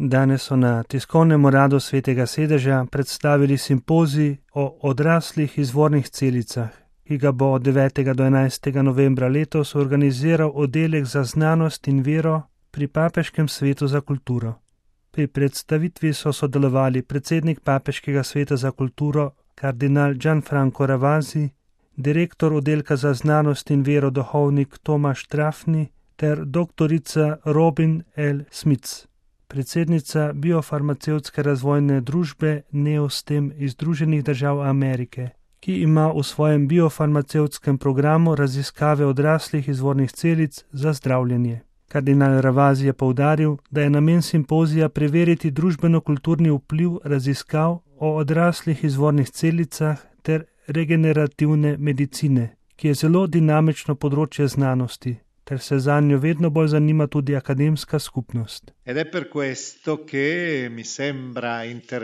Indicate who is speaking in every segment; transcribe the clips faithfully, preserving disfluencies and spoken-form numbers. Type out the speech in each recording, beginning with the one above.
Speaker 1: Danes so na tiskovnem uradu Svetega sedeža predstavili simpozij o odraslih izvornih celicah, ki ga bo od devetega do enajstega novembra letos organiziral oddelek za znanost in vero pri Papeškem svetu za kulturo. Pri predstavitvi so sodelovali predsednik Papeškega sveta za kulturo kardinal Gianfranco Ravasi, direktor oddelka za znanost in vero duhovnik Tomaž Trafni ter doktorica Robin L. Smits, predsednica biofarmacevtske razvojne družbe Neostem iz Združenih držav Amerike, ki ima v svojem biofarmacevtskem programu raziskave odraslih izvornih celic za zdravljenje. Kardinal Ravasi je poudaril, da je namen simpozija preveriti družbeno-kulturni vpliv raziskav o odraslih izvornih celicah ter regenerativne medicine, ki je zelo dinamično področje znanosti, ter se zanjo vedno bolj zanima tudi akademska skupnost.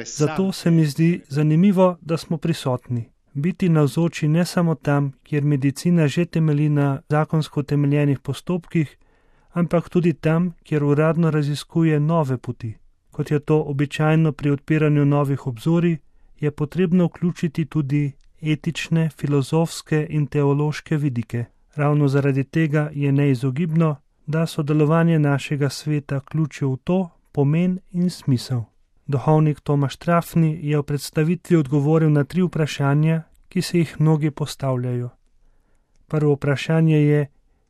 Speaker 1: Zato se mi zdi zanimivo, da smo prisotni. Biti navzoči ne samo tam, kjer medicina že temelji na zakonsko utemeljenih postopkih, ampak tudi tam, kjer uradno raziskuje nove poti. Kot je to običajno pri odpiranju novih obzorij, je potrebno vključiti tudi etične, filozofske in teološke vidike. Ravno zaradi tega je neizogibno, da sodelovanje našega sveta ključi v to pomen in smisel. Duhovnik Tomaž Trafni je v predstavitvi odgovoril na tri vprašanja, ki se jih mnogi postavljajo. Prvo vprašanje je,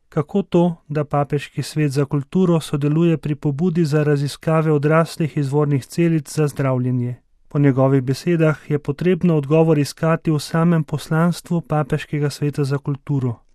Speaker 1: kako to, da Papeški svet za kulturo sodeluje pri pobudi za raziskave odraslih izvornih celic za zdravljenje. Po njegovih besedah je potrebno odgovor iskati v samem poslanstvu Papeškega sveta za kulturo,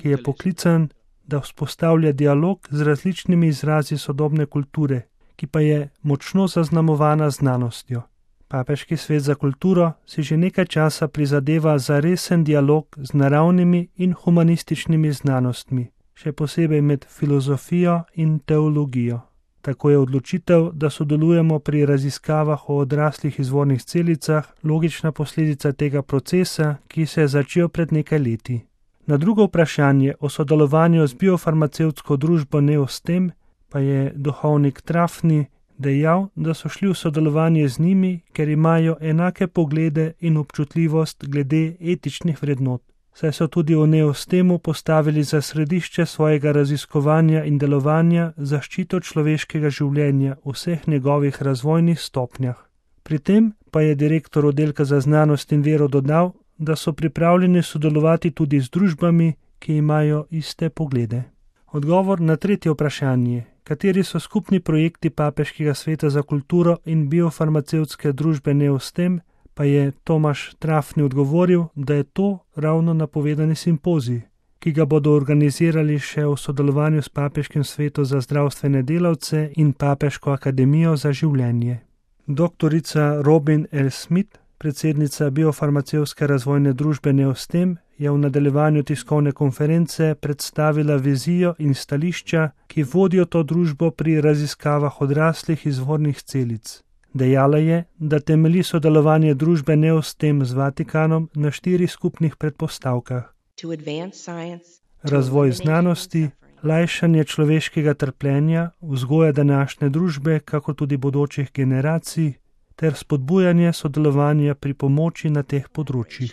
Speaker 1: ki je poklican, da vzpostavlja dialog z različnimi izrazi sodobne kulture, ki pa je močno zaznamovana znanostjo. Papeški svet za kulturo si že nekaj časa prizadeva za resen dialog z naravnimi in humanističnimi znanostmi, še posebej med filozofijo in teologijo. Tako je odločitev, da sodelujemo pri raziskavah o odraslih izvornih celicah, logična posledica tega procesa, ki se je začel pred nekaj leti. Na drugo vprašanje o sodelovanju z biofarmacevtsko družbo Neostem pa je duhovnik Trafni dejal, da so šli v sodelovanje z njimi, ker imajo enake poglede in občutljivost glede etičnih vrednot, saj so tudi v Neostemu postavili za središče svojega raziskovanja in delovanja zaščito človeškega življenja v vseh njegovih razvojnih stopnjah. Pri tem pa je direktor oddelka za znanost in vero dodal, da so pripravljeni sodelovati tudi z družbami, ki imajo iste poglede. Odgovor na tretje vprašanje, kateri so skupni projekti Papeškega sveta za kulturo in biofarmacevtske družbe Neostem, pa je Tomaž Trafni odgovoril, da je to ravno napovedani simpozij, ki ga bodo organizirali še v sodelovanju s Papeškim svetom za zdravstvene delavce in Papeško akademijo za življenje. Doktorica Robin L. Smith, predsednica biofarmacevtske razvojne družbe Neostem, je v nadaljevanju tiskovne konference predstavila vizijo in stališča, ki vodijo to družbo pri raziskavah odraslih izvornih celic. Dejala je, da temelji sodelovanje družbe Neostem z Vatikanom na štirih skupnih predpostavkah: razvoj znanosti, lajšanje človeškega trpljenja, vzgoja današnje družbe, kako tudi bodočih generacij, ter spodbujanje sodelovanja pri pomoči na teh področjih.